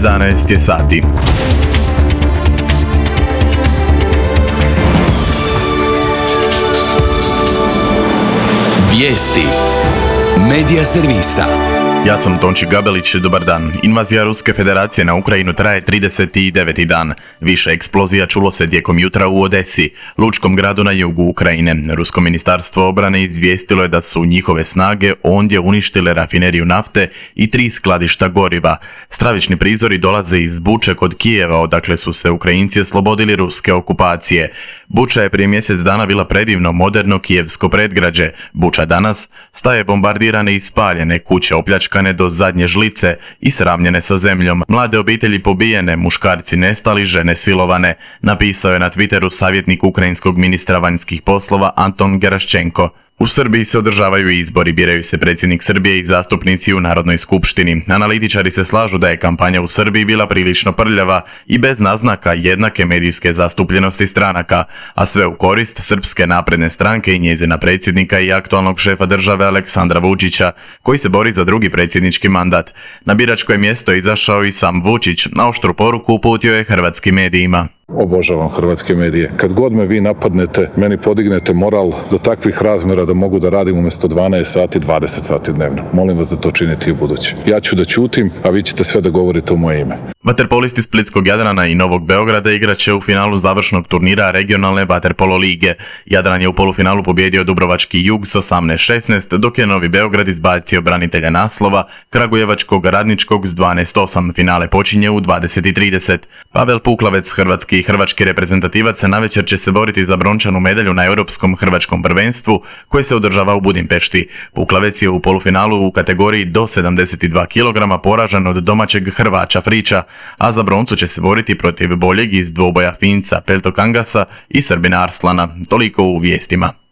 11 je sati. Vijesti Medija servisa. Ja sam Tonči Gabelić, dobar dan. Invazija Ruske federacije na Ukrajinu traje 39. dan. Više eksplozija čulo se tijekom jutra u Odesi, lučkom gradu na jugu Ukrajine. Rusko ministarstvo obrane izvijestilo je da su njihove snage ondje uništile rafineriju nafte i 3 skladišta goriva. Stravični prizori dolaze iz Buče kod Kijeva, odakle su se Ukrajinci oslobodili ruske okupacije. Buča je prije mjesec dana bila predivno moderno kijevsko predgrađe. Buča danas staje bombardirane i spaljene, kuće opljačkane do zadnje žlice i sravnjene sa zemljom. Mlade obitelji pobijene, muškarci nestali, žene silovane, napisao je na Twitteru savjetnik ukrajinskog ministra vanjskih poslova Anton Geraščenko. U Srbiji se održavaju izbori, biraju se predsjednik Srbije i zastupnici u Narodnoj skupštini. Analitičari se slažu da je kampanja u Srbiji bila prilično prljava i bez naznaka jednake medijske zastupljenosti stranaka, a sve u korist Srpske napredne stranke i njezina predsjednika i aktualnog šefa države Aleksandra Vučića, koji se bori za drugi predsjednički mandat. Na biračko je mjesto izašao i sam Vučić, na oštru poruku uputio je hrvatskim medijima. Obožavam hrvatske medije. Kad god me vi napadnete, meni podignete moral do takvih razmjera da mogu da radim umjesto 12 sati, 20 sati dnevno. Molim vas da to činite i u buduće. Ja ću da ćutim, a vi ćete sve da govorite u moje ime. Vaterpolisti Splitskog Jadrana i Novog Beograda igraće u finalu završnog turnira regionalne vaterpolo lige. Jadran je u polufinalu pobjedio Dubrovački Jug s 18-16, dok je Novi Beograd izbacio branitelja naslova Kragujevačkog Radničkog s 12-8. Finale počinje u 20:30. Pavel Puklavec, hrvatski i hrvački reprezentativac, navečer će se boriti za brončanu medalju na Europskom hrvačkom prvenstvu koje se održava u Budimpešti. Puklavec je u polufinalu u kategoriji do 72 kg poražen od domaćeg Hrvača Frića, a za broncu će se boriti protiv boljeg iz dvoboja Finca Peltokangasa i Srbina Arslana. Toliko u vijestima.